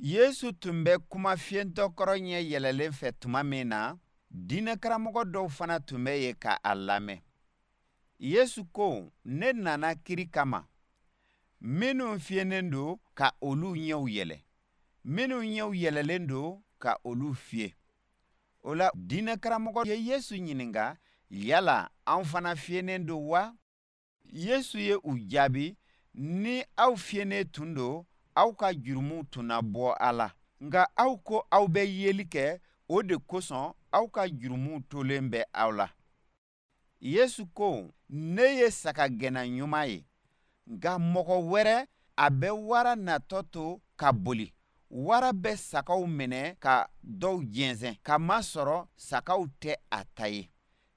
Yesu tun bɛ kuma fiyentɔ kɔrɔ ɲɛ yɛlɛlen fɛ tuma min na, diinɛkaramɔgɔ dɔw fana tun bɛ yen ka a lamɛn. Yesu ko, ne nana kiri kama. Minnu fiyennen don, ka olu ɲɛw yɛlɛ. Minnu ɲɛw yɛlɛlen don, ka olu fiye. O la, diinɛkaramɔgɔ ye Yesu ɲininka, yala anw fana fiyennen don wa? Yesu ye u jaabi, ni aw fiyennen tun don, aw ka jurumuw tun na bɔ a la. Nka aw ko aw bɛ yeli kɛ, o de kosɔn aw ka jurumuw tolen bɛ aw la. Yesu ko, ne ye sagagɛnna ɲuman ye. Nka mɔgɔ wɛrɛ, a bɛ wara natɔ to ka boli. Wara bɛ sagaw minɛ ka dɔw jɛnsɛn, k'a masɔrɔ sagaw tɛ a ta ye.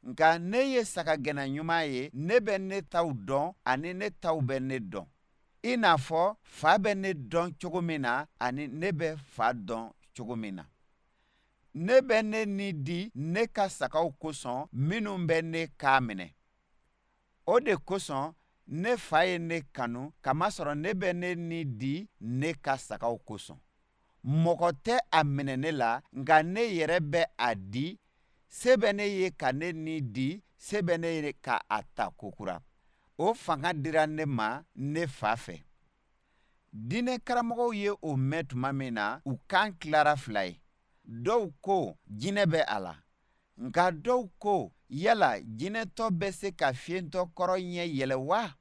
Nka ne ye sagagɛnna ɲuman ye, ne bɛ ne taw dɔn ani ne taw bɛ ne dɔn. I n'a fɔ fa bɛ ne dɔn cogo min na ani ne bɛ fa dɔn cogo min na. Ne bɛ ne ni di ne ka sagaw kosɔn minnu bɛ ne kan minɛ. O de kosɔn ne fa ye ne kanu kamasɔrɔ ne bɛ ne ni di ne ka sagaw kosɔn. Mɔgɔ tɛ a minɛ ne la, nka ne yɛrɛ bɛ a di. Se bɛ ne ye ka ne ni di, se bɛ ne ye ka a ta kokura. O fanga dira ne ma ne fa fɛ. Diinɛ karamɔgɔw ye o mɛn tuma min na, u kan tilara fila ye. Dɔw ko jinɛ bɛ a la, nka dɔw ko yala jinɛtɔ bɛ se ka fiyentɔ kɔrɔ ɲɛ yɛlɛ wa?